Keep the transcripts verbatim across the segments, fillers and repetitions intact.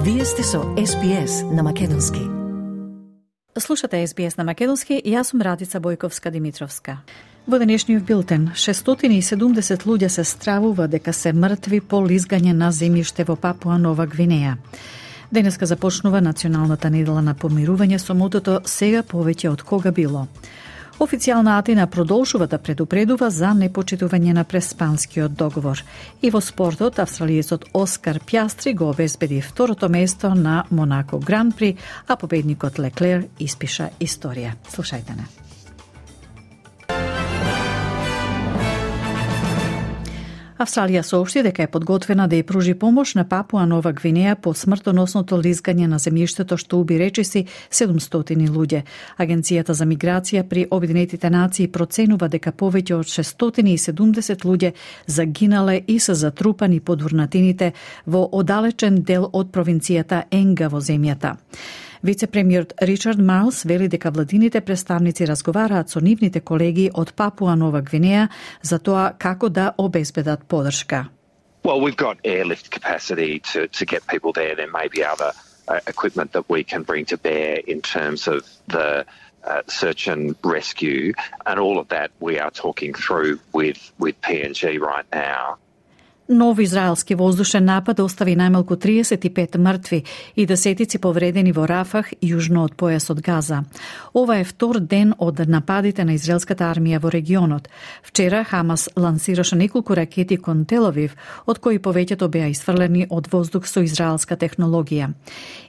Вие сте со Ес Би Ес на Македонски. Слушате Ес Би Ес на Македонски и јас сум Радица Бојковска-Димитровска. Во денешниот билтен, шестстотини и седумдесет луѓе се стравува дека се мртви по лизгање на земјиште во Папуа Нова Гвинеја. Денеска започнува националната недела на помирување со мотото "Сега повеќе од кога било". Официјална Атина продолжува да предупредува за непочитување на преспанскиот договор. И во спортот, австралиецот Оскар Пјастри го обезбеди второто место на Монако Гран При, а победникот Леклер испиша историја. Слушајте не. Австралија соопшти дека е подготвена да ја пружи помош на Папуа Нова Гвинеја по смртоносното лизгање на земјиштето што уби речиси седумстотини луѓе. Агенцијата за миграција при Обединетите нации проценува дека повеќе од шестстотини и седумдесет луѓе загинале и се затрупани под урнатините во оддалечен дел од провинцијата Енга во земјата. Вице-премиерот Ричард Марлс вели дека владините представници разговараат со нивните колеги од Папуа Нова Гвинеја за тоа како да обезбедат поддршка. Well, we've got airlift capacity to, to get people there. There may be other uh, equipment that we can bring to bear in terms of the uh, search and rescue, and all of that we are talking through with, with P N G right now. Нов израелски воздушен напад остави најмалку триесет и пет мртви и десетици повредени во Рафах, јужно од појасот Газа. Ова е втор ден од нападите на израелската армија во регионот. Вчера Хамас лансираше неколку ракети кон Тел-Авив, од кои повеќето беа isfрлени од воздух со израелска технологија.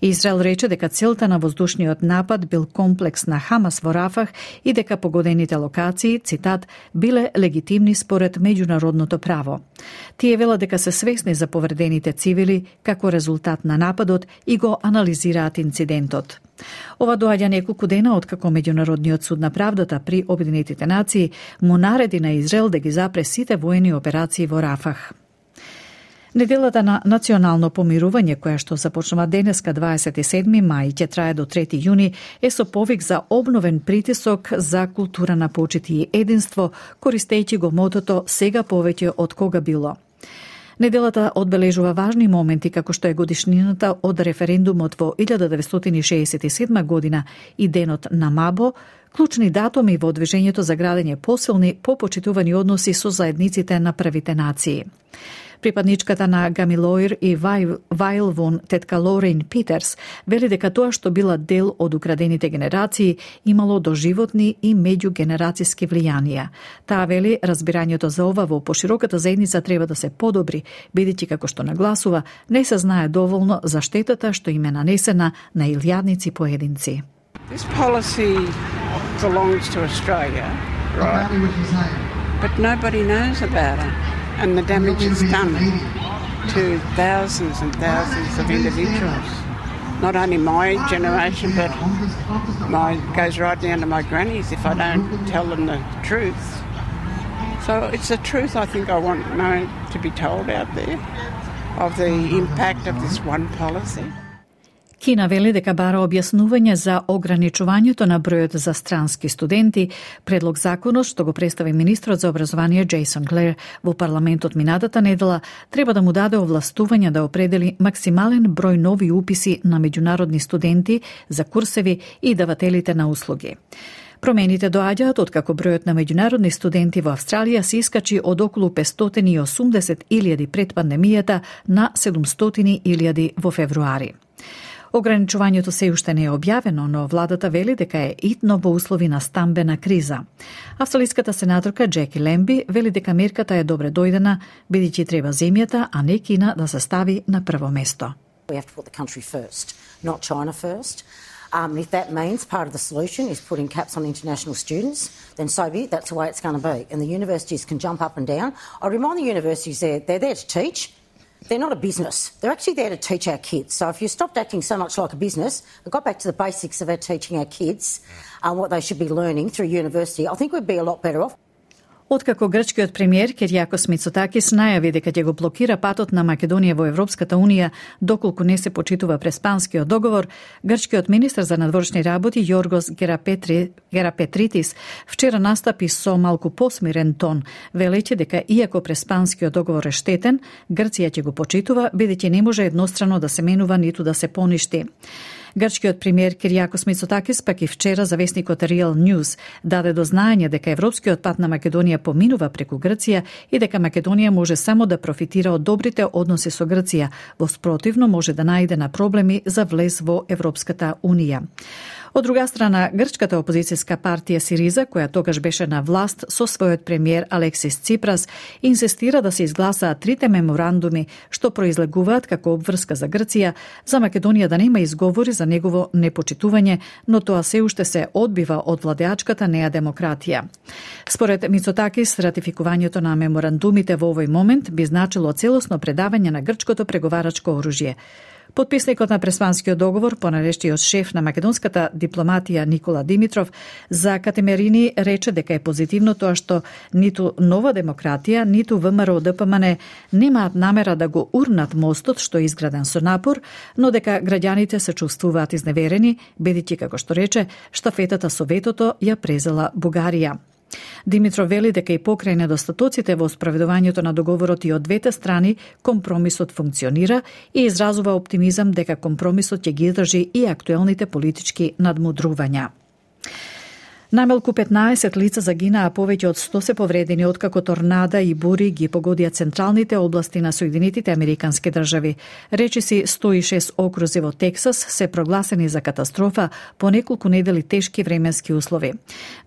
Израел рече дека целта на воздушниот напад бил комплекс на Хамас во Рафах и дека погодените локации, цитат, биле легитимни според меѓународното право. Тие велат дека се свесни за повредените цивили како резултат на нападот и го анализираат инцидентот. Ова доаѓа неколку дена откако Меѓународниот суд на правдата при Обединетите нации му нареди на Израел да ги запре сите воени операции во Рафах. Неделата на национално помирување, која што започнува денеска дваесет и седми мај, ќе трае до трети јуни, е со повик за обновен притисок за култура на почит и единство, користејќи го мотото "Сега повеќе од кога било". Неделата одбележува важни моменти како што е годишнината од референдумот во илјада деветстотини шеесет и седма година и денот на Мабо, клучни датуми во движењето за градење посилни, попочитувани односи со заедниците на првите нации. Припадничката на Гамилоир и Вајлвон, тетка Лорейн Питерс, вели дека тоа што била дел од украдените генерации имало доживотни и меѓугенерацијски влијанија. Таа вели разбирањето за ова во пошироката заедница треба да се подобри, бидејќи како што нагласува, не се знае доволно за штетата што им е нанесена на илјадници поединци. This policy belongs to Australia, right? But nobody knows about it. And the damage it's done to thousands and thousands of individuals. Not only my generation, but my goes right down to my grannies if I don't tell them the truth. So it's the truth I think I want known to be told out there of the impact of this one policy. Кина вели дека бара објаснување за ограничувањето на бројот за странски студенти, предлог законот што го представи министрот за образование Джейсон Клер во парламентот минатата недела, треба да му даде овластување да определи максимален број нови уписи на меѓународни студенти за курсеви и давателите на услуги. Промените доаѓаат откако бројот на меѓународни студенти во Австралија се искачи од околу петстотини и осумдесет илјади пред пандемијата на седумстотини илјади во февруари. Ограничувањето се уште не е објавено, но владата вели дека е итно во услови на стамбена криза. Австралиската сенаторка Джеки Лемби вели дека мерката е добре дојдена, бидејќи треба земјата, а не Кина да се стави на прво место. We have to put the country first, not China first. Um, if that means part of the solution is putting caps on international students, then so be it, that's the way it's going to be. And the universities can jump up and down. I remind the universities they're, they're there to teach. They're not a business. They're actually there to teach our kids. So if you stopped acting so much like a business and got back to the basics of our teaching our kids and what they should be learning through university, I think we'd be a lot better off. Откако грчкиот премиер Кириакос Мицотакис најави дека ќе го блокира патот на Македонија во Европската унија доколку не се почитува Преспанскиот договор, грчкиот министер за надворешни работи Јоргос Герапетри, Герапетритис вчера настапи со малку посмирен тон, велејќи дека иако Преспанскиот договор е штетен, Грција ќе го почитува бидејќи не може еднострано да се менува ниту да се поништи. Грчкиот премиер Кириакос Мицотакис пак и вчера за весникот Real News даде до знаење дека европскиот пат на Македонија поминува преку Грција и дека Македонија може само да профитира од добрите односи со Грција, во спротивно може да најде на проблеми за влез во Европската унија. Од друга страна, грчката опозицијска партија Сириза, која тогаш беше на власт со својот премиер Алексис Ципрас, инсистира да се изгласаат трите меморандуми што произлегуваат како обврска за Грција, за Македонија да нема изговори за негово непочитување, но тоа се уште се одбива од владеачката неа демократија. Според Мицотакис, ратификувањето на меморандумите во овој момент би значило целосно предавање на грчкото преговарачко оружје. Потписникот на Преспанскиот договор, понаречниот шеф на македонската дипломатија Никола Димитров, за Катемерини рече дека е позитивно тоа што ниту Нова демократија, ниту ВМРО Д П М Н немаат намера да го урнат мостот што е изграден со напор, но дека граѓаните се чувствуваат изневерени, бидејќи, како што рече, штафетата со ветото ја презела Бугарија. Димитров вели дека и покрај недостатоците во спроведувањето на договорот и од двете страни, компромисот функционира и изразува оптимизам дека компромисот ќе ги држи и актуелните политички надмудрувања. Најмалку петнаесет лица загинаа, повеќе од сто се повредени откако торнада и бури ги погодија централните области на Соединетите Американски држави. Речиси сто и шест окрузи во Тексас се прогласени за катастрофа по неколку недели тешки временски услови.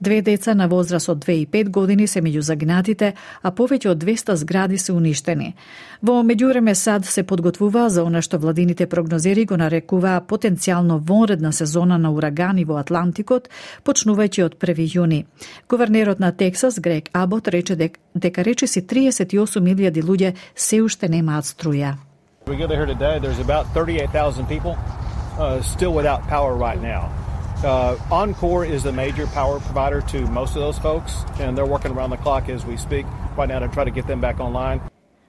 Две деца на возраст од две и пет години се меѓу загинатите, а повеќе од двесте згради се уништени. Во меѓувреме САД се подготвува за она што владините прогнозери го нарекуваа потенцијално вонредна сезона на урагани во Атлантикот, почнувајќи од први јуни. Гувернерот на Тексас, Грег Абот, рече дек, дека речиси триесет и осум илјади луѓе се уште немаат струја. We get here today, there's about thirty-eight thousand people uh, still without power right now. Uh, Encore is the major power provider to most of those folks, and they're working around the clock as we speak right now to try to get them back online.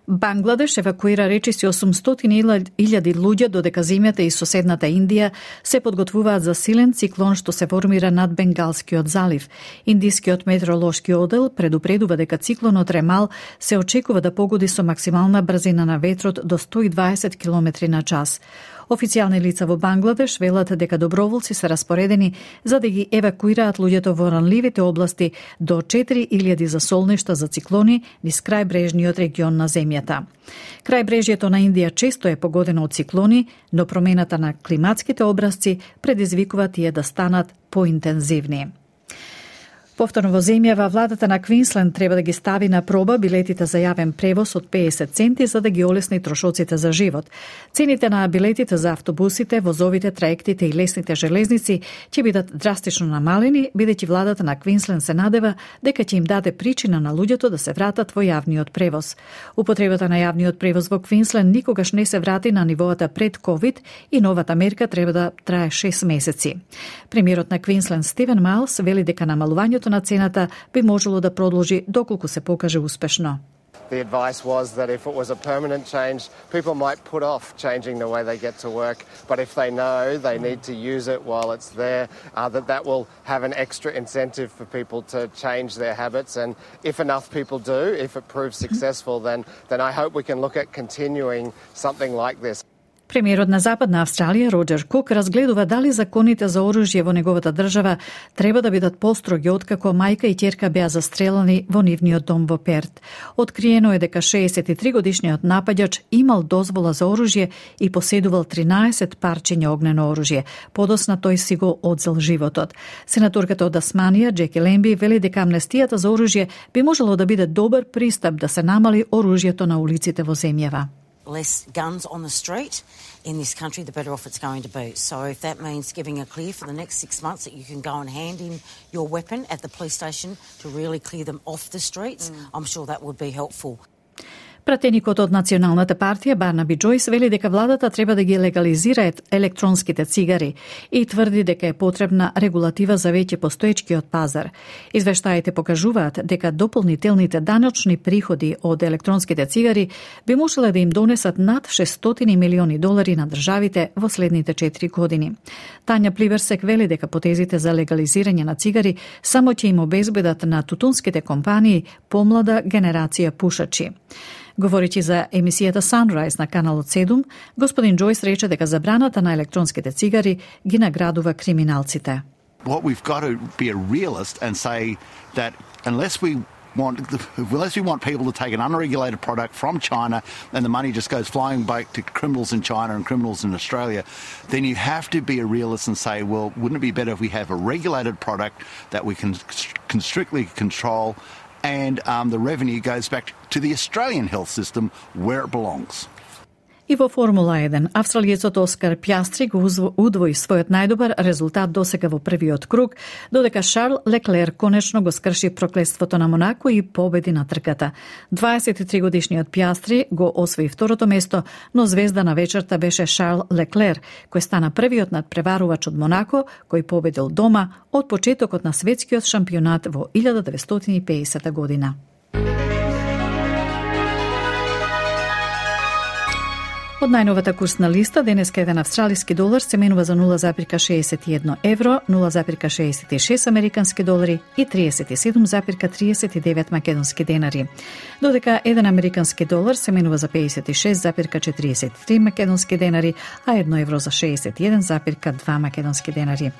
Бангладеш евакуира речиси осумстотини илјади луѓе, додека земјата и соседната Индија се подготвуваат за силен циклон што се формира над Бенгалскиот залив. Индискиот метеоролошки одел предупредува дека циклонот Ремал се очекува да погоди со максимална брзина на ветрот до сто и дваесет километри на час. Официјални лица во Бангладеш велат дека доброволци се распоредени за да ги евакуираат луѓето во ранливите области до четири илјади засолништа за циклони низ крајбрежниот регион на земјата. Крајбрежјето на Индија често е погодено од циклони, но промената на климатските образци предизвикува тие да станат поинтензивни. Повторно во земјава, владата на Квинсленд треба да ги стави на проба билетите за јавен превоз од педесет центи за да ги олесни трошоците за живот. Цените на билетите за автобусите, возовите, траектите и лесните железници ќе бидат драстично намалени, бидејќи владата на Квинсленд се надева дека ќе им даде причина на луѓето да се вратат во јавниот превоз. Употребата на јавниот превоз во Квинсленд никогаш не се врати на нивоата пред ковид и новата мерка треба да трае шест месеци. Премиерот на Квинсленд Стивен Майлс вели дека намалувањето на цената би можело да продолжи доколку се покаже успешно. The advice was that if it was a permanent change, people might put off changing the way they get to work, but if they know they need to use it while it's there, uh, that that will have an extra incentive for people to change their habits. And if enough people do, if it proves successful, then then I hope we can look at continuing something like this. Премиерот на Западна Австралија, Роџер Кук, разгледува дали законите за оружје во неговата држава треба да бидат построги откако мајка и ќерка беа застрелани во нивниот дом во Перт. Откриено е дека шеесет и три годишниот напаѓач имал дозвола за оружје и поседувал тринаесет парчиња огнено оружје. Подосна тој си го одзел животот. Сенаторката од Тасманија, Джеки Лемби, вели дека амнестијата за оружје би можело да биде добар пристап да се намали оружјето на улиците во земјава. Less guns on the street in this country, the better off it's going to be. So if that means giving a clear for the next six months that you can go and hand in your weapon at the police station to really clear them off the streets, mm. I'm sure that would be helpful. Пратеникот од Националната партија Барнаби Џојс вели дека владата треба да ги легализира електронските цигари и тврди дека е потребна регулатива за веќе постоечкиот пазар. Извештаите покажуваат дека дополнителните даночни приходи од електронските цигари би можеле да им донесат над шестстотини милиони долари на државите во следните четири години. Тања Пливерсек вели дека потезите за легализирање на цигари само ќе им обезбедат на тутунските компании помлада генерација пушачи. Говоричи за емисијата Sunrise на каналот седум, господин Џојс рече дека забраната на електронските цигари ги наградува криминалците. What we've got to be a realist and say that unless we want unless we want people to take an unregulated product from China and the money just goes flying back to criminals in China and criminals in Australia, then you have to be a realist and say, well, wouldn't it be better if we have a regulated product that we can, can strictly control and um, the revenue goes back to the Australian health system where it belongs. И во Формула еден, австралиецот Оскар Пјастри го удвои својот најдобар резултат досега во првиот круг, додека Шарл Леклер конечно го скрши проклетството на Монако и победи на трката. дваесет и три годишниот Пјастри го освои второто место, но звезда на вечерта беше Шарл Леклер, кој стана првиот надпреварувач од Монако, кој победил дома од почетокот на светскиот шампионат во илјада деветстотини и педесета година. Од најновата курсна листа, денеска еден австралиски долар се менува за нула запирка шеесет и едно евро, нула запирка шеесет и шест американски долари и триесет и седум запирка триесет и девет македонски денари. Додека еден американски долар се менува за педесет и шест запирка четириесет и три македонски денари, а едно евро за шеесет и еден запирка два македонски денари.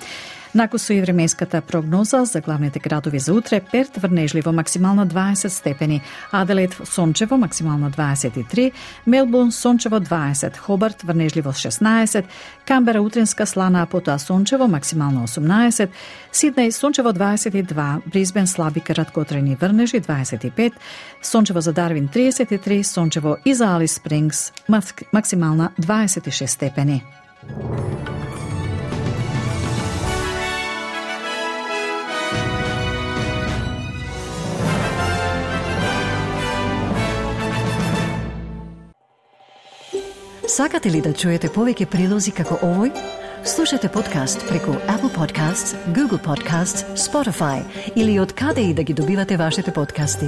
Накусу и временската прогноза за главните градови за утре: Перт врнежливо максимално дваесет степени, Аделаид сончево максимално дваесет и три, Мелбурн сончево дваесет, Хобарт врнежливо шеснаесет, Камбера утринска слана, а потоа сончево максимално осумнаесет, Сиднеј сончево дваесет и два, Брисбен слаби краткотрајни врнежи дваесет и пет, сончево за Дарвин триесет и три, сончево и за Алис Спрингс максимална дваесет и шест степени. Сакате ли да чуете повеќе прилози како овој? Слушате подкаст преку Apple Podcasts, Google Podcasts, Spotify или од каде и да ги добивате вашите подкасти.